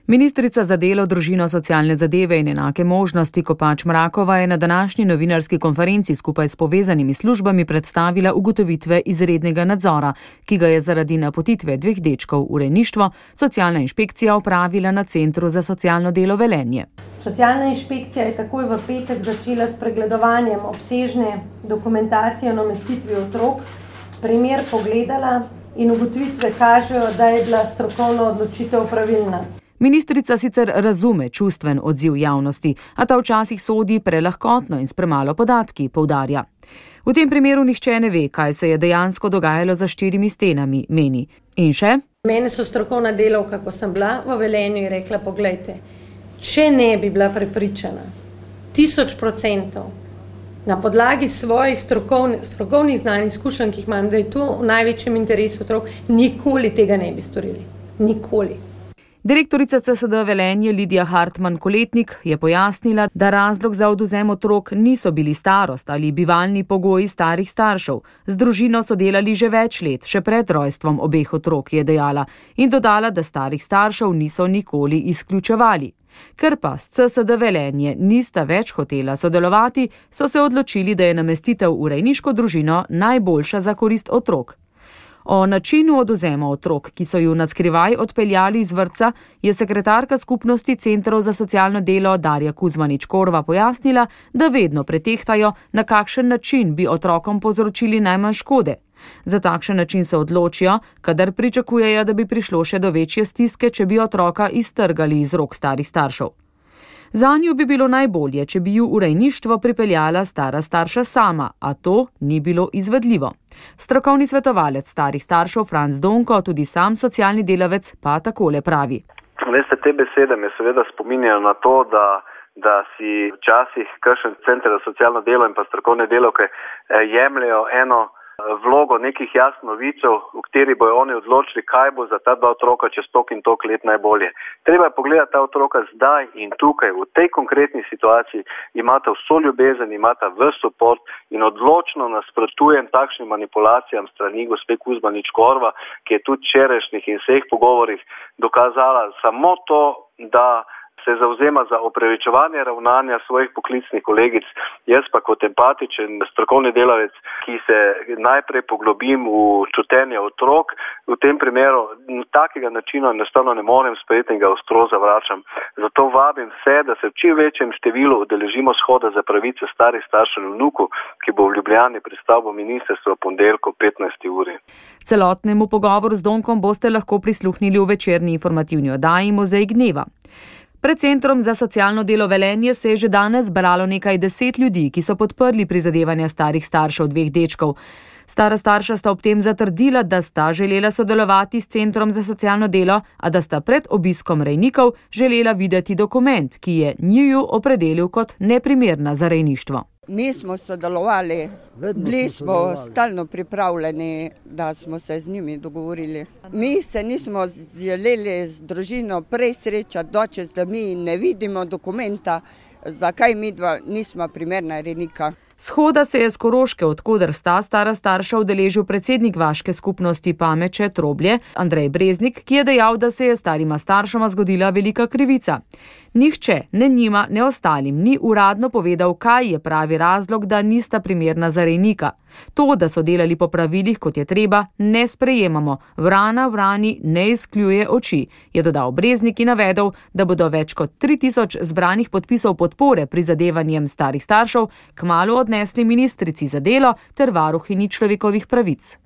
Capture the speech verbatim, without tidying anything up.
Ministrica za delo, družino, socialne zadeve in enake možnosti Kopač Mrakova je na današnji novinarski konferenci skupaj s povezanimi službami predstavila ugotovitve izrednega nadzora, ki ga je zaradi napotitve dveh dečkov v rejništvo socialna inšpekcija opravila na Centru za socialno delo Velenje. Socialna inšpekcija je takoj v petek začela s pregledovanjem obsežne dokumentacije o namestitvi otrok, primer pogledala in ugotovitve kažejo, da je bila strokovna odločitev pravilna. Ministrica sicer razume čustven odziv javnosti, a ta včasih sodi prelahkotno in s premalo podatki, poudarja. V tem primeru nihče ne ve, kaj se je dejansko dogajalo za štirimi stenami, meni. In še? Mene so strokovna delavka, ko sem bila v Velenju, in rekla, poglejte, če ne bi bila prepričana, tisoč procentov, na podlagi svojih strokovnih, strokovnih znanj, izkušenj, ki jih imam, da je to v največjem interesu otrok, nikoli tega ne bi storili. Nikoli. Direktorica C S D Velenje Lidija Hartman-Koletnik je pojasnila, da razlog za odvzem otrok niso bili starost ali bivalni pogoji starih staršev. Z družino so delali že več let, še pred rojstvom obeh otrok, je dejala, in dodala, da starih staršev niso nikoli izključevali. Ker pa s C S D Velenje nista več hotela sodelovati, so se odločili, da je namestitev v rejniško družino najboljša za korist otrok. O načinu odvzema otrok, ki so ju na skrivaj odpeljali iz vrtca, je sekretarka skupnosti Centrov za socialno delo Darja Kuzmanič-Korva pojasnila, da vedno pretehtajo, na kakšen način bi otrokom povzročili najmanj škode. Za takšen način se odločijo, kadar pričakujejo, da bi prišlo še do večje stiske, če bi otroka iztrgali iz rok starih staršev. Zanju bi bilo najbolje, če bi ju v rejništvo pripeljala stara starša sama, a to ni bilo izvedljivo. Strokovni svetovalec starih staršev Franc Donko, tudi sam socialni delavec, pa takole pravi. Veste, te besede me seveda spominjajo na to, da, da si včasih kakšen center za socialno delo in pa strokovne delavke jemljajo eno vlogo nekih jasnovicev, v kateri bojo oni odločili, kaj bo za ta dva otroka čez tok in tok let najbolje. Treba je pogledati ta otroka zdaj in tukaj, v tej konkretni situaciji, imata vso ljubezen, imata vse support in odločno nasprotujem takšnim manipulacijam strani gospe Kuzmanič-Korva, ki je tudi včerajšnjih in vseh pogovorih dokazala samo to, da se zavzema za opravičevanje ravnanja svojih poklicnih kolegic. Jaz pa kot empatičen strokovni delavec, ki se najprej poglobim v čutenje otrok, v tem primeru takega načina enostavno ne morem sprejeti in ga ostro zavračam. Zato vabim vse, da se v čim večjem številu udeležimo shoda za pravice starih staršev in vnukov, ki bo v Ljubljani pred stavbo ministrstva v ponedeljek ob petnajsti uri. Celotnemu pogovoru z Donkom boste lahko prisluhnili v večerni informativni oddaji Muzej gneva. Pred Centrom za socialno delo Velenje se je že danes zbralo nekaj deset ljudi, ki so podprli prizadevanja starih staršev dveh dečkov. Stara starša sta ob tem zatrdila, da sta želela sodelovati s Centrom za socialno delo, a da sta pred obiskom rejnikov želela videti dokument, ki je njiju opredelil kot neprimerna za rejništvo. Mi smo sodelovali, bili smo stalno pripravljeni, da smo se z njimi dogovorili. Mi se nismo želeli z družino prej srečati, dočas, da mi ne vidimo dokumenta, zakaj mi dva nismo primerna rejnika. Shoda se je z Koroške, od koder sta stara starša, udeležil predsednik vaške skupnosti Pameče Troblje, Andrej Breznik, ki je dejal, da se je starima staršama zgodila velika krivica. Nihče, ne njima, ne ostalim, ni uradno povedal, kaj je pravi razlog, da nista primerna za rejnika. To, da so delali po pravilih, kot je treba, ne sprejemamo. Vrana vrani ne izkljuje oči, je dodal Breznik in navedel, da bodo več kot tri tisoč zbranih podpisov podpore prizadevanjem starih staršev kmalu odnesli ministrici za delo ter varuhinji človekovih pravic.